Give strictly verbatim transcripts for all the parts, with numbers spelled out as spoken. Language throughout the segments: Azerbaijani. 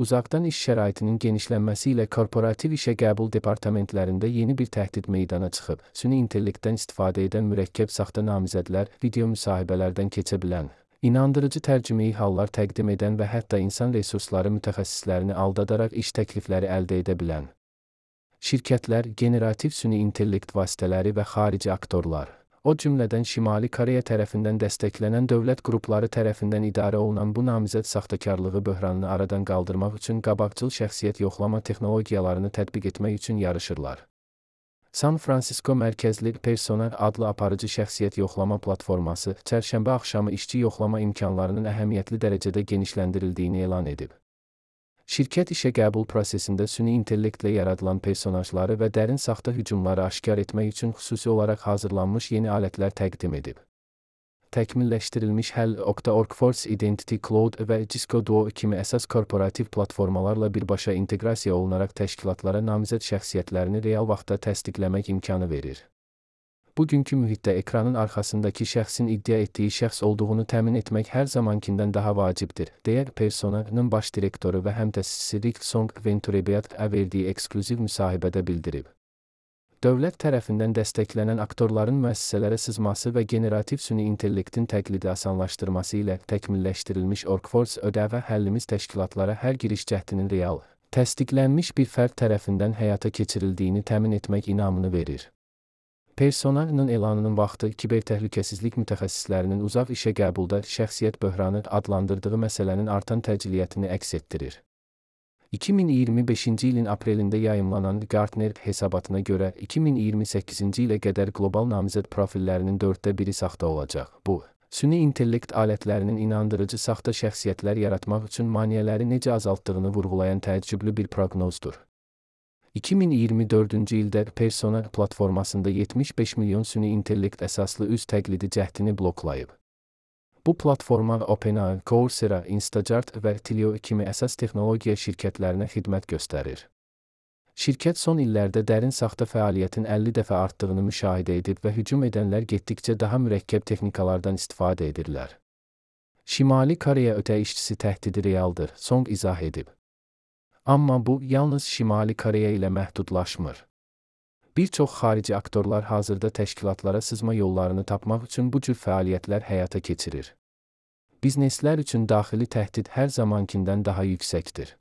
Uzaqdan iş şəraitinin genişlənməsi ilə korporativ işə qəbul departamentlərində yeni bir təhdid meydana çıxıb. Süni intellektdən istifadə edən mürəkkəb saxta namizədlər, video müsahibələrdən keçə bilən, inandırıcı tərcümeyi hallar təqdim edən və hətta insan resursları mütəxəssislərini aldadaraq iş təklifləri əldə edə bilən şirkətlər, generativ süni intellekt vasitələri və xarici aktorlar, o cümlədən Şimali Koreya tərəfindən dəstəklənən dövlət qrupları tərəfindən idarə olunan bu namizəd saxtakarlığı böhranını aradan qaldırmaq üçün qabaqcıl şəxsiyyət yoxlama texnologiyalarını tətbiq etmək üçün yarışırlar. San Francisco mərkəzli Persona adlı aparıcı şəxsiyyət yoxlama platforması, çərşənbə axşamı işçi yoxlama imkanlarının əhəmiyyətli dərəcədə genişləndirildiyini elan edib. Şirkət işə qəbul prosesində süni intellektlə yaradılan personajları və dərin saxta hücumları aşkar etmək üçün xüsusi olaraq hazırlanmış yeni alətlər təqdim edib. Təkmilləşdirilmiş həll Okta-Workforce Identity Cloud və Cisco Duo kimi əsas korporativ platformalarla birbaşa inteqrasiya olunaraq təşkilatlara namizəd şəxsiyyətlərini real vaxtda təsdiqləmək imkanı verir. Bugünkü mühitdə ekranın arxasındakı şəxsin iddia etdiyi şəxs olduğunu təmin etmək hər zamankindən daha vacibdir, deyə Persona-nın baş direktoru və həmtəsisi Rick Song Venturebeat-ə verdiyi eksklüziv müsahibədə bildirib. Dövlət tərəfindən dəstəklənən aktorların müəssisələrə sızması və generativ süni intellektin təqlidi asanlaşdırması ilə təkmilləşdirilmiş Workforce ödəvə həllimiz təşkilatlara hər giriş cəhdinin real, təsdiqlənmiş bir fərd tərəfindən həyata keçirildiyini təmin etmək inamını verir. Persona-nın elanının vaxtı kibertəhlükəsizlik mütəxəssislərinin uzaq işə qəbulda şəxsiyyət böhranı adlandırdığı məsələnin artan təciliyyətini əks etdirir. iki min iyirmi beşinci ilin aprelində yayımlanan Gartner hesabatına görə iki min iyirmi səkkizinci ilə qədər qlobal namizəd profillərinin dörddə biri saxta olacaq. Bu, süni intellekt alətlərinin inandırıcı saxta şəxsiyyətlər yaratmaq üçün maneələri necə azaltdığını vurğulayan təəccüblü bir proqnozdur. iki min iyirmi dördüncü ildə Persona platformasında yetmiş beş milyon süni intellekt əsaslı üz təqlidi cəhdini bloklayıb. Bu platforma OpenAI, Coursera, Instacart və Twilio kimi əsas texnologiya şirkətlərinə xidmət göstərir. Şirkət son illərdə dərin saxta fəaliyyətin əlli dəfə artdığını müşahidə edib və hücum edənlər getdikcə daha mürəkkəb texnikalardan istifadə edirlər. Şimali Koreya ötə işçisi təhdidi realdır, Song izah edib. Amma bu, yalnız Şimali Koreya ilə məhdudlaşmır. Bir çox xarici aktorlar hazırda təşkilatlara sızma yollarını tapmaq üçün bu cür fəaliyyətlər həyata keçirir. Bizneslər üçün daxili təhdid hər zamankindən daha yüksəkdir.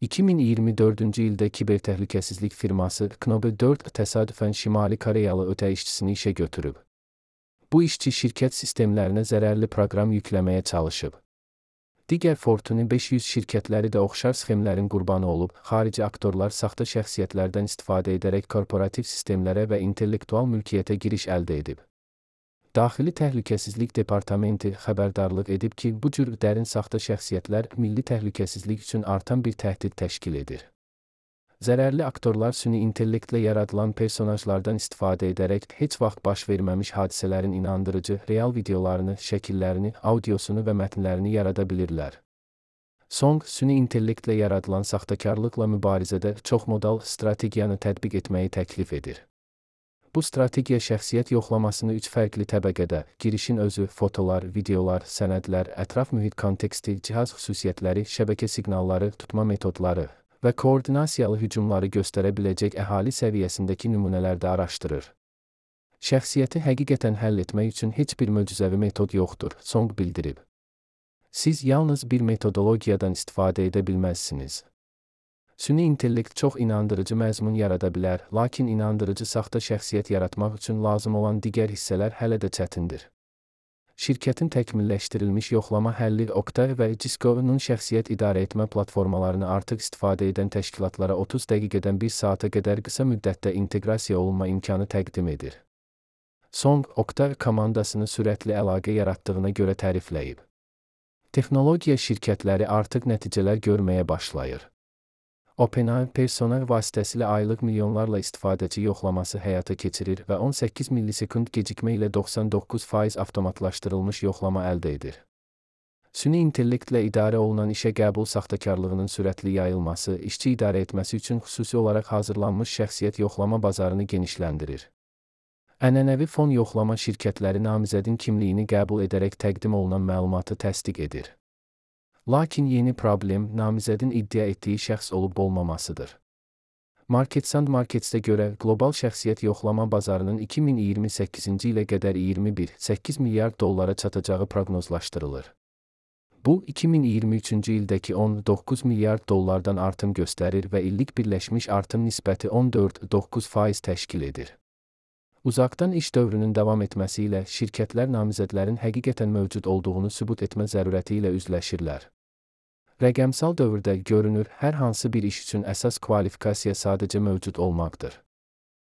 iki min iyirmi dördüncü ildə kibertəhlükəsizlik firması Knobe dörd təsadüfən Şimali Koreyalı ötə işçisini işə götürüb. Bu işçi şirkət sistemlərinə zərərli proqram yükləməyə çalışıb. Digər Fortune beş yüz şirkətləri də oxşar sxemlərin qurbanı olub, xarici aktorlar saxta şəxsiyyətlərdən istifadə edərək korporativ sistemlərə və intellektual mülkiyyətə giriş əldə edib. Daxili Təhlükəsizlik Departamenti xəbərdarlıq edib ki, bu cür dərin saxta şəxsiyyətlər milli təhlükəsizlik üçün artan bir təhdid təşkil edir. Zərərli aktorlar süni intellektlə yaradılan personajlardan istifadə edərək heç vaxt baş verməmiş hadisələrin inandırıcı, real videolarını, şəkillərini, audiosunu və mətnlərini yarada bilirlər. Song, süni intellektlə yaradılan saxtakarlıqla mübarizədə çoxmodal strategiyanı tətbiq etməyi təklif edir. Bu strategiya şəxsiyyət yoxlamasını üç fərqli təbəqədə, girişin özü, fotolar, videolar, sənədlər, ətraf mühit konteksti, cihaz xüsusiyyətləri, şəbəkə siqnalları, tutma metodları və koordinasiyalı hücumları göstərə biləcək əhali səviyyəsindəki nümunələrdə araşdırır. Şəxsiyyəti həqiqətən həll etmək üçün heç bir möcüzəvi metod yoxdur, Song bildirib. Siz yalnız bir metodologiyadan istifadə edə bilməzsiniz. Süni intellekt çox inandırıcı məzmun yarada bilər, lakin inandırıcı saxta şəxsiyyət yaratmaq üçün lazım olan digər hissələr hələ də çətindir. Şirkətin təkmilləşdirilmiş yoxlama həlli Okta və Cisco-nun şəxsiyyət idarə etmə platformalarını artıq istifadə edən təşkilatlara otuz dəqiqədən bir saata qədər qısa müddətdə inteqrasiya olunma imkanı təqdim edir. Song, Okta komandasını sürətli əlaqə yaratdığına görə tərifləyib. Texnologiya şirkətləri artıq nəticələr görməyə başlayır. OpenAI Persona vasitəsilə aylıq milyonlarla istifadəçi yoxlaması həyata keçirir və on səkkiz millisekund gecikmə ilə doxsan doqquz faiz avtomatlaşdırılmış yoxlama əldə edir. Süni intellektlə idarə olunan işə qəbul saxtakarlığının sürətli yayılması, işçi idarə etməsi üçün xüsusi olaraq hazırlanmış şəxsiyyət yoxlama bazarını genişləndirir. Ənənəvi fon yoxlama şirkətləri namizədin kimliyini qəbul edərək təqdim olunan məlumatı təsdiq edir. Lakin yeni problem namizədin iddia etdiyi şəxs olub olmamasıdır. Marketsand Markets'ə görə qlobal şəxsiyyət yoxlama bazarının iki min iyirmi səkkizinci ilə qədər iyirmi bir nöqtə səkkiz milyard dollara çatacağı proqnozlaşdırılır. Bu, iki min iyirmi üçüncü ildəki on doqquz milyard dollardan artım göstərir və illik birləşmiş artım nisbəti on dörd nöqtə doqquz faiz təşkil edir. Uzaqdan iş dövrünün davam etməsi ilə şirkətlər namizədlərin həqiqətən mövcud olduğunu sübut etmə zərurəti ilə üzləşirlər. Rəqəmsal dövrdə görünür, hər hansı bir iş üçün əsas kvalifikasiya sadəcə mövcud olmaqdır.